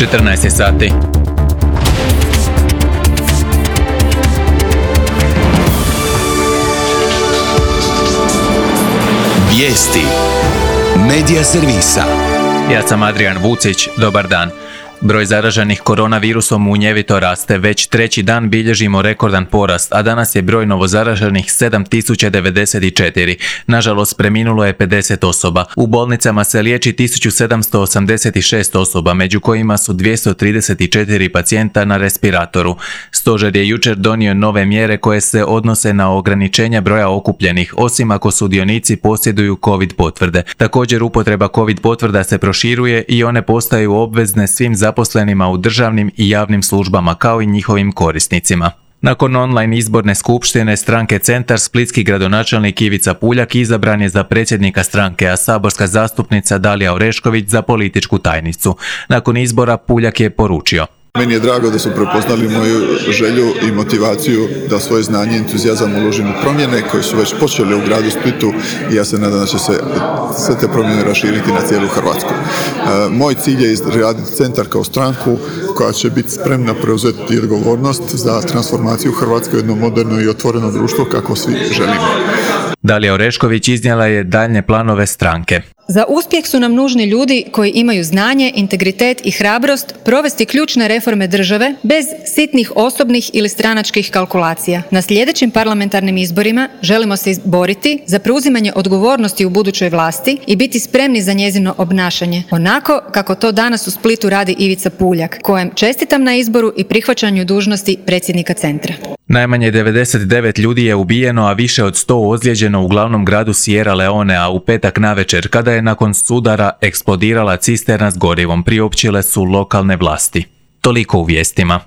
14 sati. Vijesti Medija servisa. Ja sam Adrian Vucić, dobar dan. Broj zaraženih koronavirusom munjevito raste, već treći dan bilježimo rekordan porast, a danas je broj novozaraženih 7094. Nažalost, preminulo je 50 osoba. U bolnicama se liječi 1786 osoba, među kojima su 234 pacijenta na respiratoru. Stožer je jučer donio nove mjere koje se odnose na ograničenja broja okupljenih, osim ako sudionici posjeduju COVID potvrde. Također, upotreba COVID potvrda se proširuje i one postaju obvezne svim zaposlenima u državnim i javnim službama, kao i njihovim korisnicima. Nakon online izborne skupštine stranke Centar, splitski gradonačelnik Ivica Puljak izabran je za predsjednika stranke, a saborska zastupnica Dalija Orešković za političku tajnicu. Nakon izbora Puljak je poručio: Meni je drago da su prepoznali moju želju i motivaciju da svoje znanje i entuzijazam uložim u promjene koje su već počele u gradu Splitu i ja se nadam da će se sve te promjene raširiti na cijelu Hrvatsku. Moj cilj je izraditi Centar kao stranku koja će biti spremna preuzeti odgovornost za transformaciju Hrvatske u jedno moderno i otvoreno društvo kako svi želimo. Dalija Orešković iznijela je daljnje planove stranke. Za uspjeh su nam nužni ljudi koji imaju znanje, integritet i hrabrost provesti ključne reforme države bez sitnih osobnih ili stranačkih kalkulacija. Na sljedećim parlamentarnim izborima želimo se izboriti za preuzimanje odgovornosti u budućoj vlasti i biti spremni za njezino obnašanje, onako kako to danas u Splitu radi Ivica Puljak, kojem čestitam na izboru i prihvaćanju dužnosti predsjednika Centra. Najmanje 99 ljudi je ubijeno, a više od 100 ozlijeđeno u glavnom gradu Sierra Leonea u petak navečer, kada je nakon sudara eksplodirala cisterna s gorivom, priopćile su lokalne vlasti. Toliko u vijestima.